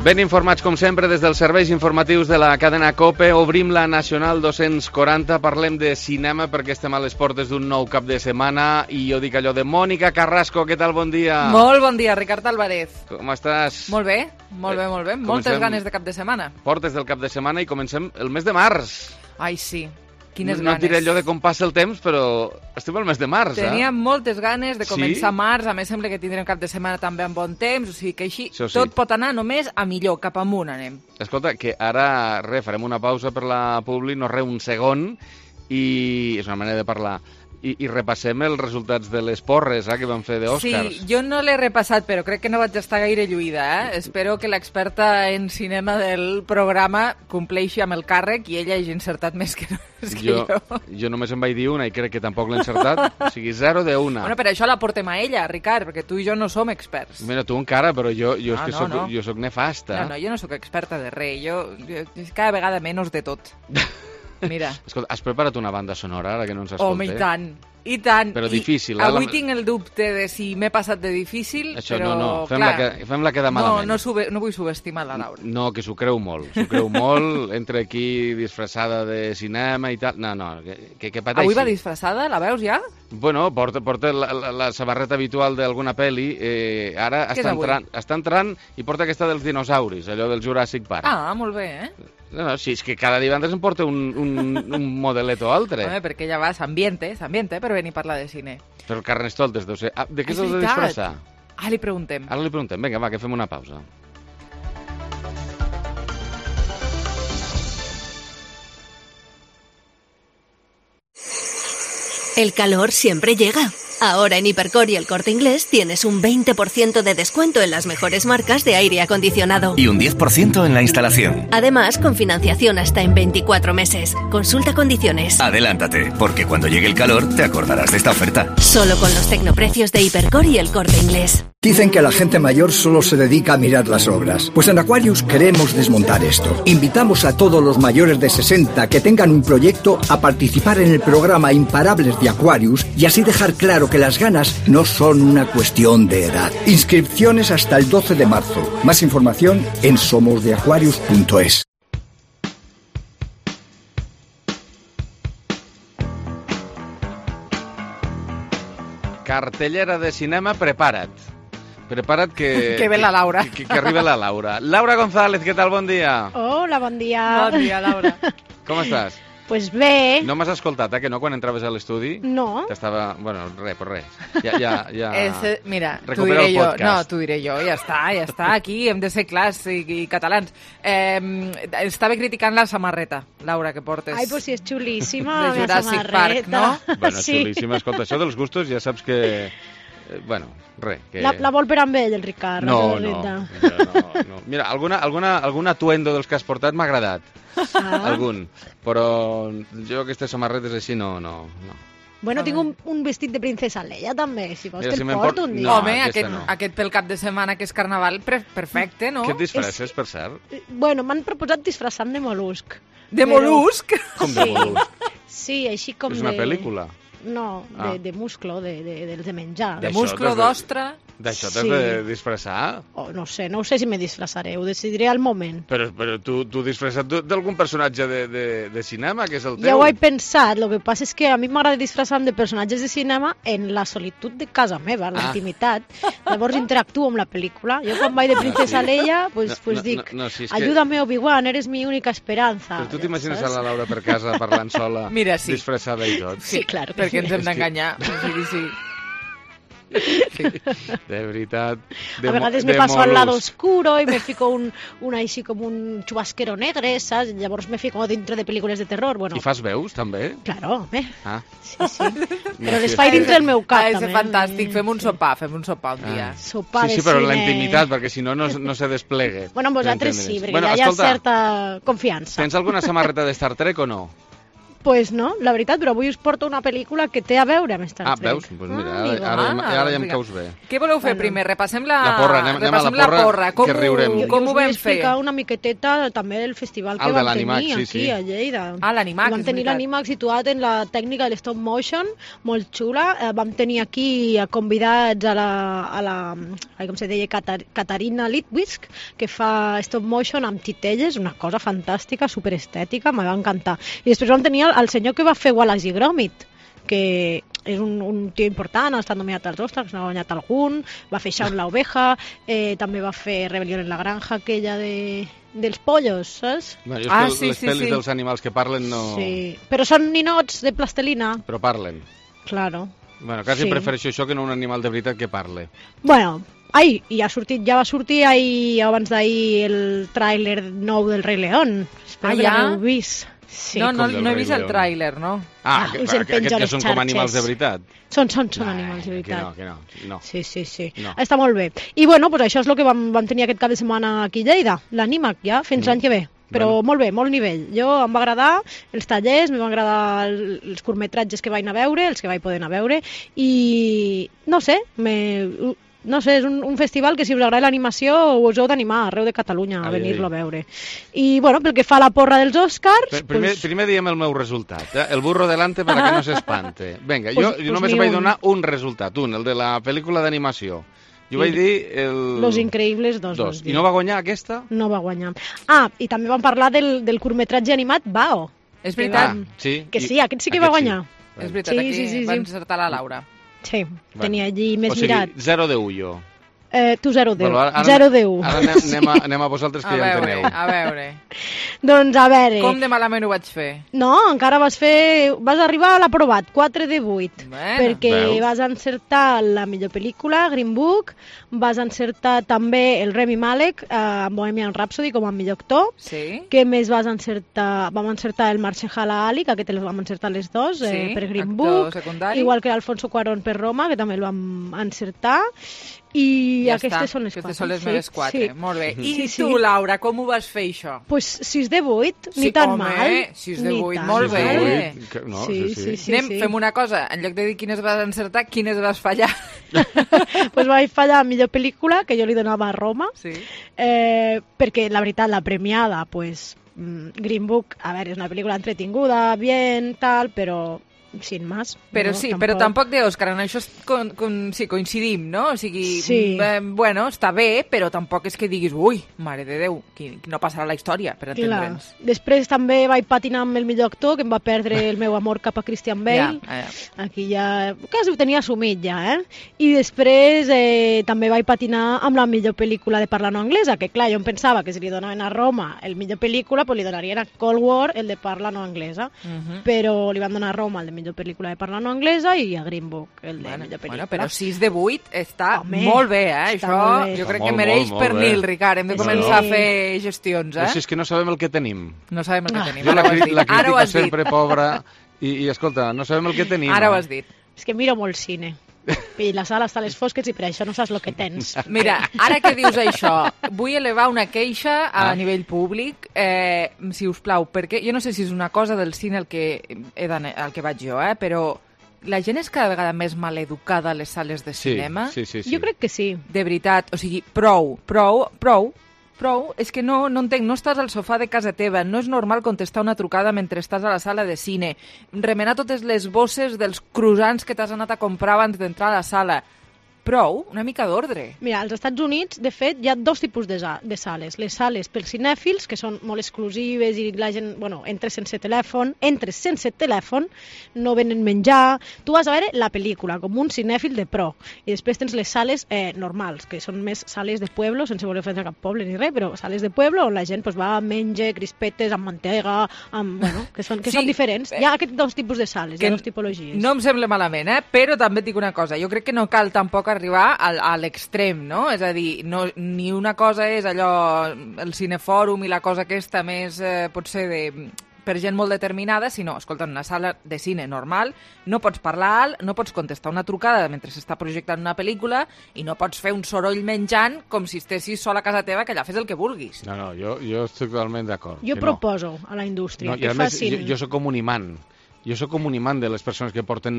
Ben informats, com sempre, des dels serveis informatius de la cadena COPE. Obrim la Nacional 240, parlem de cinema perquè estem a les portes d'un nou cap de setmana i jo dic allò de Mònica Carrasco, què tal, bon dia? Molt bon dia, Ricard Álvarez. Com estàs? Molt bé, molt bé, molt bé. Moltes ganes de cap de setmana. Portes del cap de setmana i comencem el mes de març. Ai, sí. Quines no ganes. No diré allò de com passa el temps, però estem al mes de març, Tenia moltes ganes de començar Sí? març, a més sembla que tindrem cap de setmana també amb bon temps, o sigui que així Això sí. tot pot anar només a millor, cap amunt anem. Escolta, que ara, farem una pausa per la Publi, no un segon, i és una manera de parlar. I repassem els resultats de les porres que vam fer d'Òscars. Sí, jo no l'he repassat, però crec que no vaig estar gaire lluïda. Espero que l'experta en cinema del programa compleixi amb el càrrec i ella hagi encertat més que jo. Jo només en vaig dir una i crec que tampoc l'he encertat. O sigui, 0 de 1. Bueno, per això la portem a ella, Ricard, perquè tu i jo no som experts. Mira, tu encara, però jo és que jo soc nefasta. No, jo no sóc experta de res. Jo cada vegada menys de tot. Mira. Escolta, has preparat una banda sonora ara que no ens escolta? Home, i tant. Però difícil. Avui tinc el dubte de si m'he passat de difícil, això, però no, clar... Fem-la quedar malament. No vull subestimar la Laura. No, que s'ho creu molt. Entra aquí disfressada de cinema i tal. No, que pateixi. Avui va disfressada? La veus ja? Bueno, porta la samarreta habitual d'alguna pel·li. Ara està entrant i porta aquesta dels dinosauris, allò del Jurassic Park. Ah, molt bé, No, sí, és que cada divendres em porta un modelet o altre. Home, perquè ella va, s'ambiente per venir a parlar de cine. Però Carnestoltes deu ser... de què s'has de disfressar? Ara li preguntem. Vinga, va, que fem una pausa. El calor siempre llega. Ahora en Hipercor y El Corte Inglés tienes un 20% de descuento en las mejores marcas de aire acondicionado. Y un 10% en la instalación. Además, con financiación hasta en 24 meses. Consulta condiciones. Adelántate, porque cuando llegue el calor te acordarás de esta oferta. Solo con los tecnoprecios de Hipercor y El Corte Inglés. Dicen que la gente mayor solo se dedica a mirar las obras. Pues en Aquarius queremos desmontar esto. Invitamos a todos los mayores de 60 que tengan un proyecto a participar en el programa Imparables de Aquarius y así dejar claro que las ganas no son una cuestión de edad. Inscripciones hasta el 12 de marzo. Más información en somosdeaquarius.es. Cartellera de cinema, prepara't. Prepara't que ve la Laura. Que arriba la Laura. Laura González, què tal? Bon dia. Hola, bon dia. Bon dia, Laura. Com estàs? Pues bé. No m'has escoltat, que no, quan entraves a l'estudi? No. T'estava... Bueno, res. Ja... Mira, recupera el podcast. No, t'ho diré jo, ja està, aquí hem de ser clars i catalans. Estava criticant la samarreta, Laura, que portes. Ai, pues sí, és xulíssima, de la Jurassic Park, no? Bueno, sí. Xulíssima, escolta, això dels gustos ja saps que... Bueno, res. Que... La vol per amb ell, el Ricard. No. Mira, algun atuendo dels que has portat m'ha agradat. Algun. Però jo aquestes samarretes així no. Bueno, tinc un vestit de princesa Leia, també, si vols. Mira, te'l porto un dia. No, home, aquest pel cap de setmana que és carnaval, perfecte, no? Què et disfresses, per cert? Bueno, m'han proposat disfressar-me de molusc. De molusc? Com de molusc? Sí, així com és una pel·lícula? No, de musclo, dels de menjar. De musclo, d'ostra... D'això t'has de disfressar? No sé si me disfressaré, ho decidiré al moment. Però tu disfressat d'algun personatge de cinema, que és el teu? Ja ho he pensat, el que passa és que a mi m'agrada disfressar-me de personatges de cinema en la solitud de casa meva, en la intimitat. Llavors interactuo amb la pel·lícula. Jo quan vaig de princesa Leia, pues dic, ayúdame Obi-Wan, eres mi única esperanza. Però tu t'imagines a la Laura per casa parlant sola, disfressada i tot? Sí, clar. Perquè ens hem d'enganyar. Sí. De veritat. A vegades me paso al lado oscuro y me fico així com un chubasquero negre, saps? Llavors me fico dintre de pel·lícules de terror. Bueno. I fas veus, també? Claro, home. Sí. Però les faig dintre del meu cap, també. És fantàstic, fem un sopar un dia. Sopar de sí, però cine. en la intimitat, perquè si no se desplegue. Bueno, amb vosaltres sí, perquè ja hi ha certa confiança. Tens alguna samarreta de Star Trek o no? Pues no, la veritat, però avui us porto una pel·lícula que té a veure amb Star Trek. Veus? Pues mira, ara ja em caus bé. Què voleu fer primer? Repassem la porra, anem a la porra, que riurem. Com ho vam fer? Explicar una miqueteta també del festival que vam tenir aquí a Lleida. l'Animax, vam tenir l'Animax situat en la tècnica de l'stop motion, molt xula. Vam tenir aquí convidats a la com se deia, Caterina Litwisk, que fa stop motion amb titelles, una cosa fantàstica, superestètica, me va encantar. I després vam tenir el senyor que va fer Wallace i Gromit, que és un tio important, ha estat nominat als Oscars, n'ha guanyat algun, va fer Shaun la oveja, també va fer Rebelión en la granja, aquella dels pollos, saps? Bueno, les pel·lis dels animals que parlen no... Sí, però són ninots de plastelina. Però parlen. Claro. Bueno, quasi prefereixo això que no un animal de veritat que parle. Bueno, ja va sortir abans d'ahir el tràiler nou del Rei León. Espero que l'heu vist. Sí. No he vist el tràiler, no? Que són com animals de veritat. Són animals de veritat. Que no. Sí. No. Està molt bé. I bueno, pues això és el que vam tenir aquest cap de setmana aquí a Lleida, l'Animax, ja, fins l'any que ve. Però molt bé, molt nivell. Jo em va agradar els tallers, em van agradar els curtmetratges que vaig anar a veure, els que vaig poder anar a veure, i no sé, és un festival que si us agrada l'animació us heu d'animar arreu de Catalunya a venir-lo a veure. I bueno, pel que fa a la porra dels Oscars... Primer diem el meu resultat, el burro delante para que no s'espante. Vinga, jo només vaig donar un resultat, el de la pel·lícula d'animació. Jo vaig dir... Los Increïbles 2. I no va guanyar aquesta? No va guanyar. I també vam parlar del curtmetratge animat Bao. És veritat. Que sí, aquest sí que va guanyar. És veritat, aquí va encertar la Laura. Sí, tenia allí més mirat. O sigui, 0 de 1 jo. Tu 0 de 1. 0 de 1. Ara anem a vosaltres que ja enteneu. A veure. Doncs a veure... Com de malament ho vaig fer? No, encara vas arribar a l'aprovat, 4 de 8. Perquè vas encertar la millor pel·lícula, Green Book, vas encertar també el Rami Malek amb Bohemian Rhapsody com a millor actor. Sí. Què més vas encertar? Vam encertar el Mahershala Ali, que aquest el vam encertar les dos, per Green Book. Secundari. Igual que l'Alfonso Cuarón per Roma, que també el vam encertar. I ja aquestes són les 4. Aquestes són les meves 4, molt bé. I tu, Laura, com ho vas fer, això? Pues 6 de 8, ni tan mal. 6 de 8, molt bé. Sí. Fem una cosa, en lloc de dir quines vas encertar, quines vas fallar. Pues vaig fallar millor pel·lícula, que jo li donava a Roma, perquè la veritat, la premiada, pues, Green Book, a veure, és una pel·lícula entretinguda, bien, tal, però... sin más. Però sí, però tampoc d'Òscar, en això coincidim, no? O sigui, bueno, està bé, però tampoc és que diguis, ui, mare de Déu, no passarà la història, per entendre'ns. Després també vaig patinar amb el millor actor, que em va perdre el meu amor cap a Christian Bale. Aquí ja quasi ho tenia assumit ja, I després també vaig patinar amb la millor pel·lícula de parla no anglesa, que clar, jo em pensava que si li donaven a Roma el millor pel·lícula, pues li donarien a Cold War el de parla no anglesa, però li van donar a Roma el de millor pel·lícula de parla no anglesa i a Green Book el de millor pel·lícula. Però 6 de 8 està molt bé, Això jo crec que mereix pernil, Ricard. Hem de començar a fer gestions, Si és que no sabem el que tenim. No sabem el que tenim. Jo la crítica sempre pobra i escolta, no sabem el que tenim. Ara ho has dit. És que miro molt cine. I la sala està a les fosques i per això no saps el que tens. Mira, ara que dius això, vull elevar una queixa a nivell públic, si us plau, perquè jo no sé si és una cosa del cine al que vaig jo, però la gent és cada vegada més maleducada a les sales de cinema? Sí. Jo crec que sí. De veritat, o sigui, prou, és que no entenc, no estàs al sofà de casa teva, no és normal contestar una trucada mentre estàs a la sala de cine, remenar totes les bosses dels croissants que t'has anat a comprar abans d'entrar a la sala. Prou, una mica d'ordre. Mira, als Estats Units, de fet, hi ha dos tipus de sales. Les sales pels cinèfils, que són molt exclusives i la gent, entres sense telèfon, no venen menjar. Tu vas a veure la pel·lícula, com un cinèfil de pro. I després tens les sales normals, que són més sales de pueblo, sense voler ofendre cap poble ni res, però sales de pueblo on la gent va a menjar crispetes amb mantega, que són diferents. Hi ha aquests dos tipus de sales, hi ha dues tipologies. No em sembla malament, però també et dic una cosa. Jo crec que no cal tampoc arribar a l'extrem, no? És a dir, ni una cosa és allò, el cinefòrum i la cosa aquesta més, potser per gent molt determinada, sinó, escolta, en una sala de cine normal no pots parlar alt, no pots contestar una trucada mentre s'està projectant una pel·lícula i no pots fer un soroll menjant com si estessis sol a casa teva, que allà fes el que vulguis. No, jo estic totalment d'acord. Jo proposo a la indústria que facin... Jo soc com un imant. Jo sóc com un imant de les persones que porten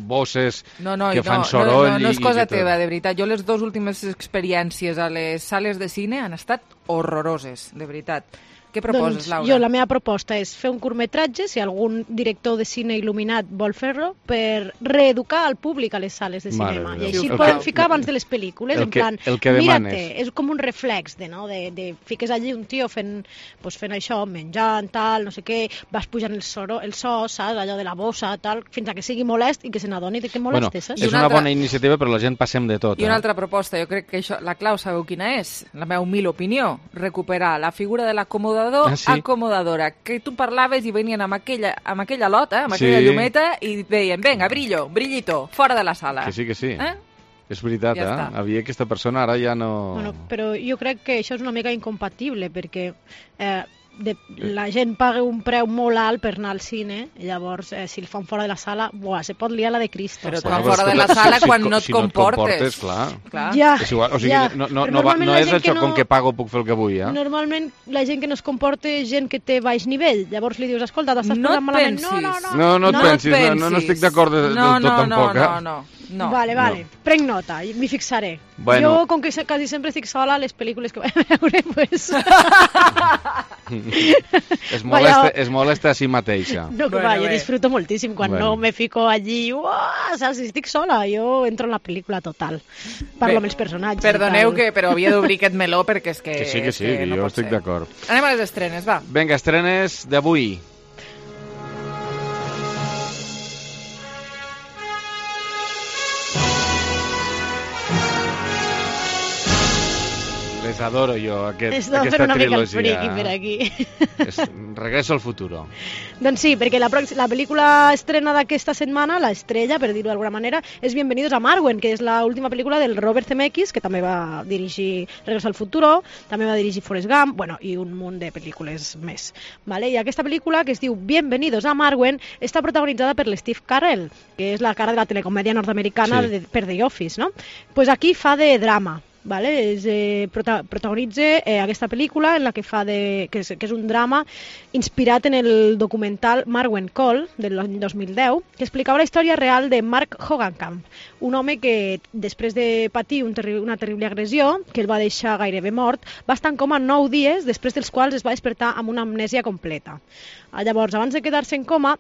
bosses, que fan soroll... No és cosa teva, de veritat. Jo les dues últimes experiències a les sales de cine han estat horroroses, de veritat. Què proposes, Laura? Jo, la meva proposta és fer un curtmetratge, si algun director de cine il·luminat vol fer-lo, per reeducar el públic a les sales de cinema. I així el poden ficar abans de les pel·lícules, en plan, mira-te, és com un reflex, fiques allí un tio fent això, menjant, tal, no sé què, vas pujant el so, saps, allò de la bossa, tal, fins a que sigui molest i que se n'adoni que moleste, saps? És una bona iniciativa, però la gent passem de tot. I una altra proposta, jo crec que la clau sabeu quina és? La meva humil opinió, recuperar la figura de l'acomodador acomodadora, que tu parlaves i venien amb aquella lota, amb aquella llumeta i deien, venga, brillito, fora de la sala. Que sí. És veritat, havia aquesta persona, ara ja no... Bueno, però jo crec que això és una mica incompatible, perquè la gent paga un preu molt alt per anar al cine, i llavors, si el fan fora de la sala, se pot liar la de Cristo. Però fan fora de la sala quan no et comportes. Clar. Ja, és igual, o sigui, no és això com que pago puc fer el que vull, Normalment la gent que no es comporta és gent que té baix nivell, llavors li dius, escolta, t'estàs posant malament. No et pensis, no estic d'acord del tot tampoc. No. Vale, prenc nota, m'hi fixaré. Jo, com que quasi sempre estic sola, les pel·lícules que vaig a veure, pues... Es molesta a si mateixa. No, que jo disfruto moltíssim quan no me fico allí, saps, si estic sola, jo entro en la pel·lícula total. Parlo amb els personatges. Perdoneu, però havia d'obrir aquest meló perquè és que... Que sí, jo estic d'acord. Anem a les estrenes, va. Vinga, estrenes d'avui. Les adoro jo, aquesta trilogia. Una mica el friqui per aquí. Regreso al futuro. Doncs sí, perquè la pel·lícula estrena d'aquesta setmana, l'estrella, per dir-ho d'alguna manera, és Bienvenidos a Marwen, que és l'última pel·lícula del Robert Zemeckis, que també va dirigir Regreso al futuro, també va dirigir Forrest Gump, i un munt de pel·lícules més. I aquesta pel·lícula, que es diu Bienvenidos a Marwen, està protagonitzada per l'Steve Carell, que és la cara de la telecomèdia nord-americana per The Office, no? Pues aquí fa de drama. Protagonitza aquesta pel·lícula en la que que és un drama inspirat en el documental Marwen Call del 2010, que explicava la història real de Mark Hogancamp, un home que després de patir una terrible agressió que el va deixar gairebé mort, va estar en coma 9 dies, després dels quals es va despertar amb una amnèsia completa. Llavors, abans de quedar-se en coma,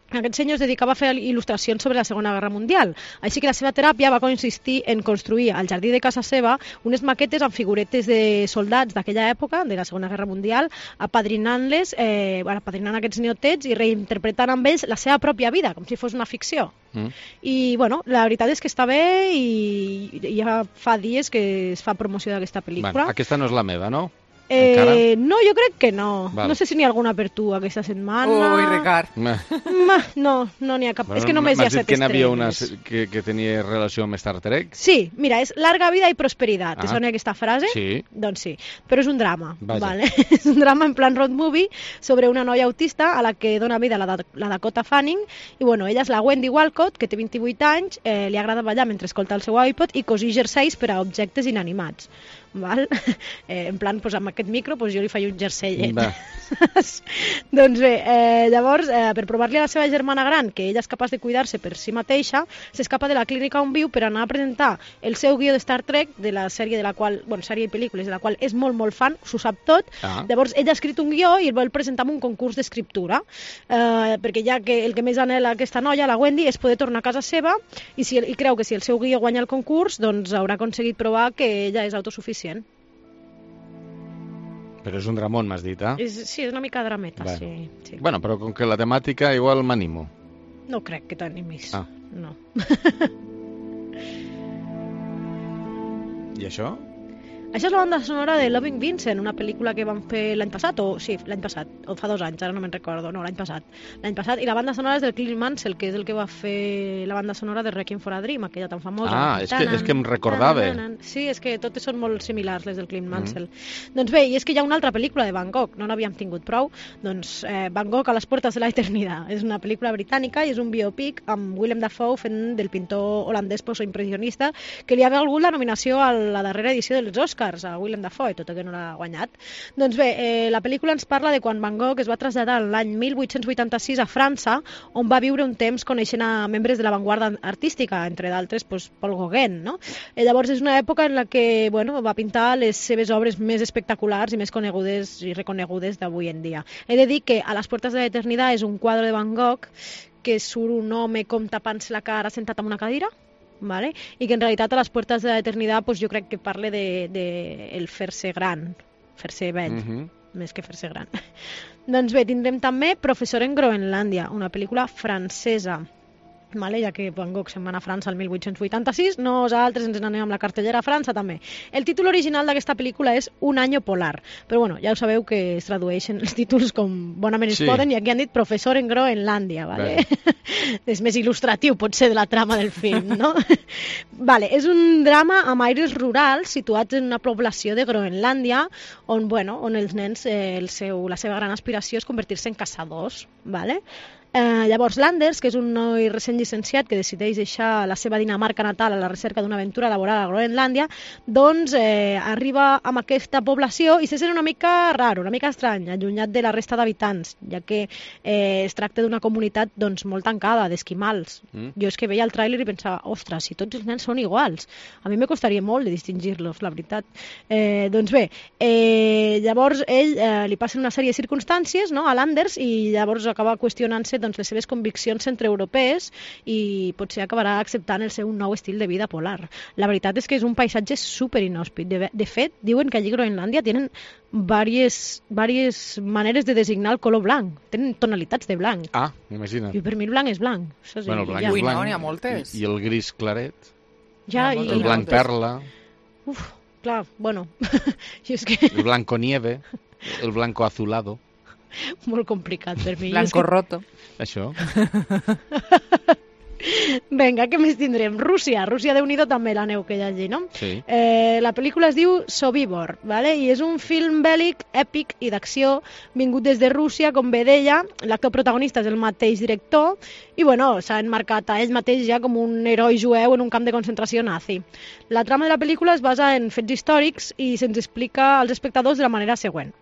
aquest senyor es dedicava a fer il·lustracions sobre la Segona Guerra Mundial, així que la seva teràpia va consistir en construir al jardí de casa seva unes maquetes amb figuretes de soldats d'aquella època, de la Segona Guerra Mundial, apadrinant-les, apadrinant aquests neotets i reinterpretant amb ells la seva pròpia vida, com si fos una ficció. I, la veritat és que està bé i ja fa dies que es fa promoció d'aquesta pel·lícula. Aquesta no és la meva, no? No, jo crec que no. No sé si n'hi ha alguna per tu aquesta setmana. Ui, Ricard. No n'hi ha cap. És que només hi ha 7 estrenes. M'has dit que n'hi havia una que tenia relació amb Star Trek? Sí, mira, és Larga vida i prosperitat. Te sona aquesta frase? Sí. Doncs sí, però és un drama. És un drama en plan road movie sobre una noia autista a la que dona vida la Dakota Fanning i, ella és la Wendy Walcott, que té 28 anys, li agrada ballar mentre escolta el seu iPod i cosir jerseis per a objectes inanimats. En plan, amb aquest micro jo li faig un jerseillet. Doncs bé, llavors, per provar-li a la seva germana gran que ella és capaç de cuidar-se per si mateixa, s'escapa de la clínica on viu per anar a presentar el seu guió de Star Trek, de la sèrie de la qual, sèrie i pel·lícules de la qual és molt, molt fan, s'ho sap tot. Llavors, ella ha escrit un guió i el vol presentar en un concurs d'escriptura, perquè ja que el que més anhela aquesta noia, la Wendy, és poder tornar a casa seva i creu que si el seu guió guanya el concurs, doncs haurà aconseguit provar que ella és autosuficient. Però és un dramón, m'has dit, Sí, és una mica drameta, sí. Bueno, però com que la temàtica igual m'animo. No crec que t'animis. No. I això? Això és la banda sonora de Loving Vincent, una pel·lícula que van fer l'any passat, o fa 2 anys, ara no me'n recordo, no, l'any passat, i la banda sonora és del Clint Mansell, que és el que va fer la banda sonora de Requiem for a Dream, aquella tan famosa. És que em recordava. Sí, és que totes són molt similars, les del Clint Mansell. Doncs bé, i és que hi ha una altra pel·lícula de Van Gogh, no n'havíem tingut prou, doncs Van Gogh a les portes de la eternitat. És una pel·lícula britànica i és un biopic amb Willem Dafoe fent del pintor holandès postimpressionista que li ha valgut la nominació a la darrera edició dels Oscars. Oscars a Willem Dafoe, tot i que no l'ha guanyat. Doncs bé, la pel·lícula ens parla de quan Van Gogh es va traslladar l'any 1886 a França, on va viure un temps coneixent a membres de l'avantguarda artística, entre d'altres Paul Gauguin, no? Llavors és una època en la que va pintar les seves obres més espectaculars i més conegudes i reconegudes d'avui en dia. He de dir que A les puertas de la eternidad és un quadre de Van Gogh que surt un home com tapant-se la cara sentat en una cadira, ¿vale? I que en realitat A les puertas de la eternidad jo crec que parla de el fer-se gran, fer-se vell, més que fer-se gran. Doncs bé, tindrem també Professor en Groenlàndia, una pel·lícula francesa, vale? Ja que Van Gogh se'n va anar a França el 1886, nosaltres ens n'anem amb la cartellera a França també. El títol original d'aquesta pel·lícula és Un año polar, però bueno, ja ho sabeu que es tradueixen els títols com bonament es poden, i aquí han dit Professor en Groenlàndia, vale? És més il·lustratiu potser de la trama del film, no? Vale, és un drama amb aires rurals situats en una població de Groenlàndia on els nens, la seva gran aspiració és convertir-se en caçadors, vale? Llavors Landers, que és un noi recent llicenciat que decideix deixar la seva Dinamarca natal a la recerca d'una aventura laboral a Groenlàndia, doncs arriba a aquesta població i se sent una mica raro, una mica estrany, allunyat de la resta d'habitants, ja que es tracta d'una comunitat molt tancada, d'esquimals. Jo és que veia el tràiler i pensava, ostres, si tots els nens són iguals, a mi me costaria molt de distingir-los, la veritat. Doncs bé, llavors ell li passen una sèrie de circumstàncies, no, a Landers, i llavors acaba qüestionant-se les seves conviccions centreeuropees i potser acabarà acceptant el seu nou estil de vida polar. La veritat és que és un paisatge super inhòspit. De fet, diuen que allí a Groenlàndia tenen diverses maneres de designar el color blanc. Tenen tonalitats de blanc. Ah, imagina't. I per mi el blanc és blanc. Bueno, el blanc és blanc. N'hi ha moltes. I el gris claret. Ja, el blanc perla. Uf, clar, bueno. El blanco nieve. El blanco azulado. Molt complicat per mi. Blanco roto. Això. Vinga, què més tindrem? Rússia, Déu-n'hi-do també la neu que hi ha allí, no? Sí. La pel·lícula es diu Sobibor, ¿vale? I és un film bèl·lic, èpic i d'acció vingut des de Rússia, com bé deia. L'actor protagonista és el mateix director i s'ha enmarcat a ell mateix ja com un heroi jueu en un camp de concentració nazi. La trama de la pel·lícula es basa en fets històrics i se'ns explica als espectadors de la manera següent.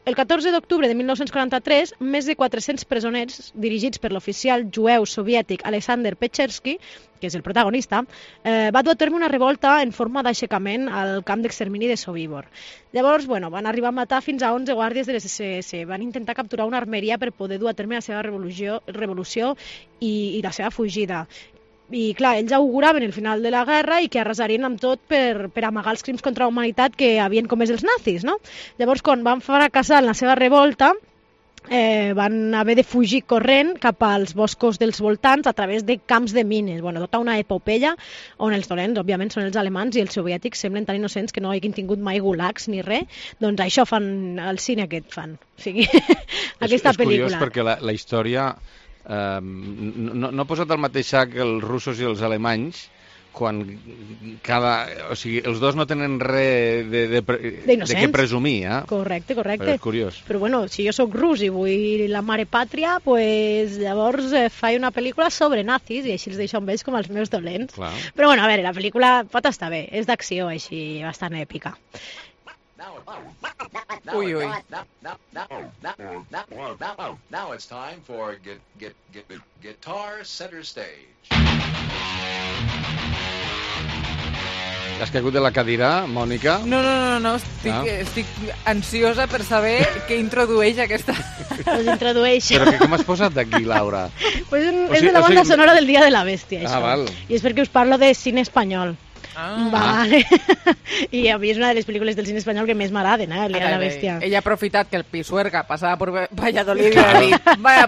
El 14 d'octubre de 1943, més de 400 presoners, dirigits per l'oficial jueu soviètic Alexander Pechersky, que és el protagonista, va dur a terme una revolta en forma d'aixecament al camp d'extermini de Sobibor. Llavors, van arribar a matar fins a 11 guàrdies de les SS, van intentar capturar una armeria per poder dur a terme la seva revolució i la seva fugida. I clar, ells auguraven el final de la guerra i que arrasarien amb tot per amagar els crims contra la humanitat que havien comès els nazis, no? Llavors, quan van fracassar en la seva revolta, van haver de fugir corrent cap als boscos dels voltants a través de camps de mines. Tota una epopeia on els dolents, òbviament, són els alemans i els soviètics semblen tan innocents que no hagin tingut mai gulags ni res. Doncs això fan al cine aquest fan. O sigui, aquesta pel·lícula. És curiós perquè la història... no ha posat al mateix sac els russos i els alemanys quan els dos no tenen res de què presumir, eh? Correcte. Però és curiós. Però si jo sóc rus i vull la mare pàtria, llavors faig una pel·lícula sobre nazis i així els deixo amb ells com els meus dolents. Clar. Però a veure, la pel·lícula pot estar bé, és d'acció així bastant èpica. Ui. Now it's time for Guitar Center Stage. Has caigut de la cadira, Mònica? No. Estic ansiosa per saber què introdueix aquesta... Pues introdueix. Però com has posat d'aquí, Laura? És de la banda sonora del Dia de la Bèstia, això. Val. I és perquè us parlo de cine espanyol. Vale. I a mi és una de les pel·lícules del cine espanyol que més m'agraden, el Dia de la Bèstia. Ella ha aprofitat que el Pisuerga passava per Valladolid i ha dit,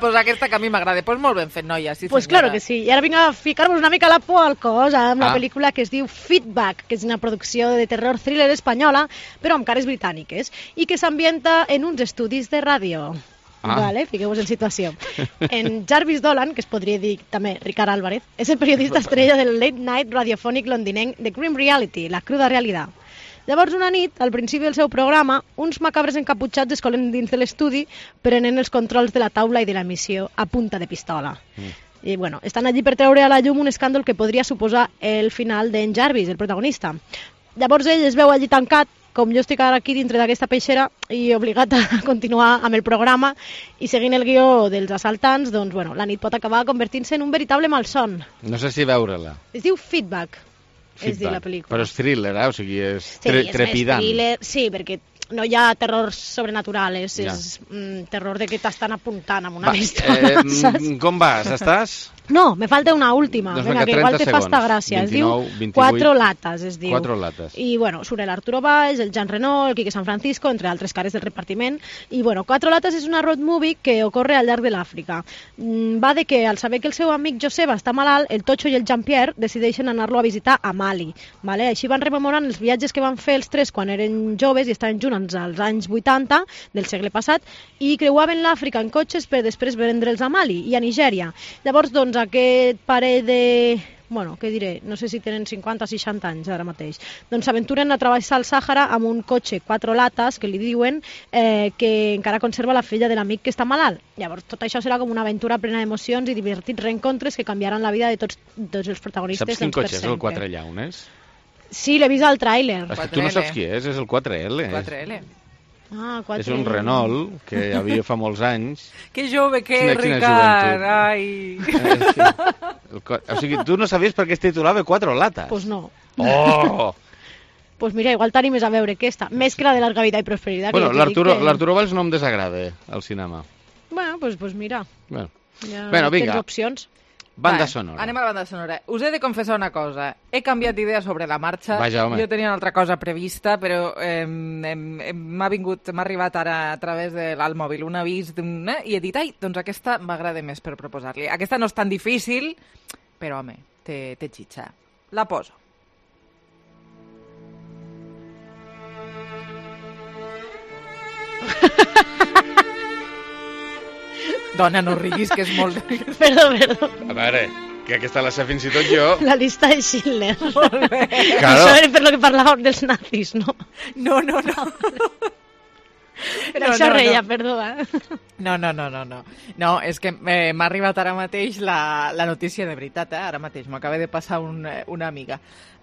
pues aquesta que a mi m'agrada. Pues molt ben fet, noia. Sí, pues claro que sí. I ara vinc a ficar-vos una mica la por al cos amb la pel·lícula que es diu Feedback, que és una producció de terror thriller espanyola, però amb cares britàniques, i que s'ambienta en uns estudis de ràdio. Vale, fiqueu-vos en situació. En Jarvis Dolan, que es podria dir també Ricard Álvarez, és el periodista estrella del late night radiofònic londinenc The Grim Reality, la cruda realitat. Llavors, una nit, al principi del seu programa, uns macabres encaputxats es colen dins de l'estudi prenent els controls de la taula i de l'emissió a punta de pistola. I, estan allí per treure a la llum un escàndol que podria suposar el final d'en Jarvis, el protagonista. Llavors ell es veu allí tancat com jo estic ara aquí dintre d'aquesta peixera i obligat a continuar amb el programa i seguint el guió dels assaltants, doncs, bueno, la nit pot acabar convertint-se en un veritable malson. No sé si veure-la. Es diu Feedback, es diu la pel·lícula. Però és thriller, o sigui, és sí, trepidant. És thriller, sí, perquè no hi ha terror sobrenatural, és terror de que t'estan apuntant amb una bèstia. Com vas? Estàs? No, me falta una última. Doncs venga, que igual te fa esta gràcia. 29, es diu 28. Cuatro latas, es diu. Cuatro latas. I, bueno, surt l'Arturo Valls, el Jean Reno, el Quique San Francisco, entre altres cares del repartiment. I, bueno, Cuatro latas és una road movie que ocorre al llarg de l'Àfrica. Va de que, al saber que el seu amic Joseba està malalt, el Tocho i el Jean-Pierre decideixen anar-lo a visitar a Mali. Vale? Així van rememorant els viatges que van fer els tres quan eren joves i estaven junts als anys 80 del segle passat i creuaven l'Àfrica en cotxes per després vendre'ls a Mali i a Nigèria. Llavors, doncs, aquest parell de... Bueno, què diré? No sé si tenen 50 o 60 anys ara mateix. Doncs s'aventuren a travessar el Sàhara amb un cotxe 4 latas, que li diuen, que encara conserva la filla de l'amic que està malalt. Llavors, tot això serà com una aventura plena d'emocions i divertits reencontres que canviaran la vida de tots els protagonistes. Saps quin cotxe és el 4 llaunes? Sí, l'he vist al tràiler. Tu no saps qui és el 4L. 4L. Ah, 4L. És un Renault que hi havia fa molts anys. Que jove que és, Ricard! Ai! O sigui, tu no sabies per què es titulava 4 latas? Pues no. Oh! Pues mira, igual t'animes a veure aquesta, més que la de Larga Vida i Prosperitat. Bueno, l'Arturo Valls no em desagrada al cinema. Bueno, pues mira. Bueno, ja vinga. tens opcions. Banda sonora. Anem a la banda sonora. Us he de confessar una cosa. He canviat d'idea sobre la marxa. Vaja, home. Jo tenia una altra cosa prevista, però m'ha arribat ara a través del mòbil un avís i he dit, doncs aquesta m'agrada més per proposar-li. Aquesta no és tan difícil, però, home, té xitxa. La poso. Dona, no riguis, que és molt... Perdó. A veure, que aquesta la sé fins i tot jo. La llista de Schindler. Molt bé. Claro. Això era per lo que parlàvem dels nazis, no? No. Per això reia, perdó. No. No, és que m'ha arribat ara mateix la notícia de veritat, ara mateix. M'acaba de passar una amiga.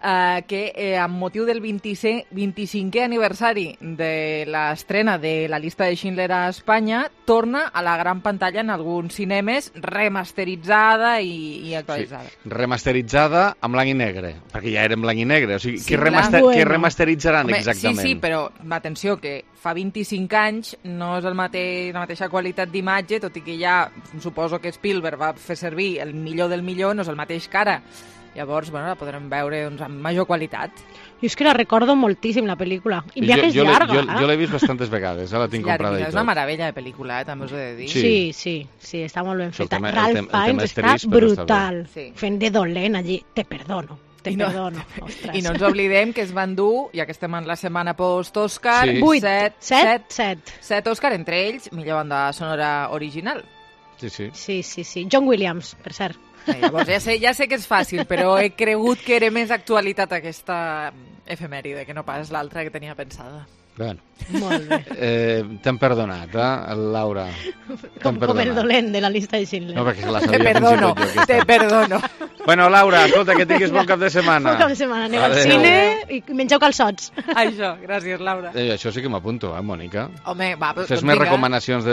Que amb motiu del 25è aniversari de l'estrena de la llista de Schindler a Espanya, torna a la gran pantalla en alguns cinemes remasteritzada i actualitzada. Sí, remasteritzada en blanc i negre, perquè ja era en blanc i negre. O sigui, sí, què remasteritzaran exactament? Sí, però atenció, que fa 25 anys no és la mateixa qualitat d'imatge, tot i que ja suposo que Spielberg va fer servir el millor del millor, no és el mateix que ara. Llavors, bueno, la podrem veure amb major qualitat. Jo és que la recordo moltíssim, la pel·lícula. I mira que és llarga. Jo l'he vist bastantes vegades, la tinc comprada i tot. És una meravella de pel·lícula, també us he de dir. Sí, està molt ben feta. Ralph Fiennes està brutal. Fent de dolent allí. Te perdono. I no ens oblidem que es van dur, ja que estem en la setmana post-Òscar, 7 Òscar, entre ells, millor banda sonora original. Sí. John Williams, per cert. Llavors, ja sé que és fàcil, però he cregut que era més actualitat aquesta efemèride que no pas l'altra que tenia pensada. Bueno. Molt bé. T'hem perdonat, Laura? Com el dolent de la llista de Schindler. No, perquè la sabia fins i tot jo. Te perdono. Bueno, Laura, escolta, que tinguis bon cap de setmana. Bon cap de setmana, aneu al cine i mengeu calçots. Això, gràcies, Laura. Això sí que m'apunto, Mònica? Home, va, fes més recomanacions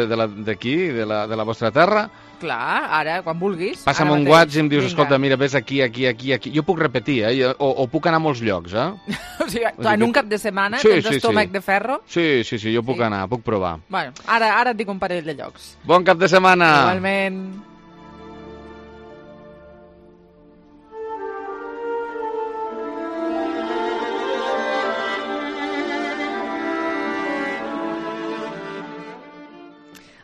d'aquí, de la vostra terra. Clar, ara, quan vulguis. Passa'm un WhatsApp i em dius, escolta, mira, ves aquí. Jo puc repetir, o puc anar a molts llocs, O sigui, en un cap de setmana tens estómac de ferro? Sí, jo puc anar, puc provar. Bueno, ara et dic un parell de llocs. Bon cap de setmana! Igualment.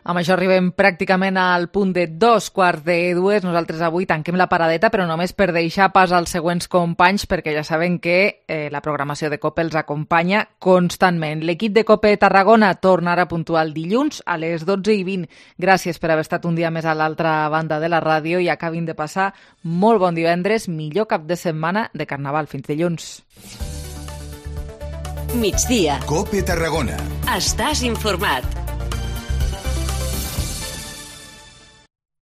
Amb això arribem pràcticament al punt de 2:15. Nosaltres avui tanquem la paradeta, però només per deixar pas als següents companys, perquè ja saben que la programació de COPE els acompanya constantment. L'equip de COPE Tarragona tornarà puntual dilluns a les 12:20. Gràcies per haver estat un dia més a l'altra banda de la ràdio i acabin de passar molt bon divendres, millor cap de setmana de Carnaval. Fins dilluns. Migdia. COPE Tarragona. Estàs informat.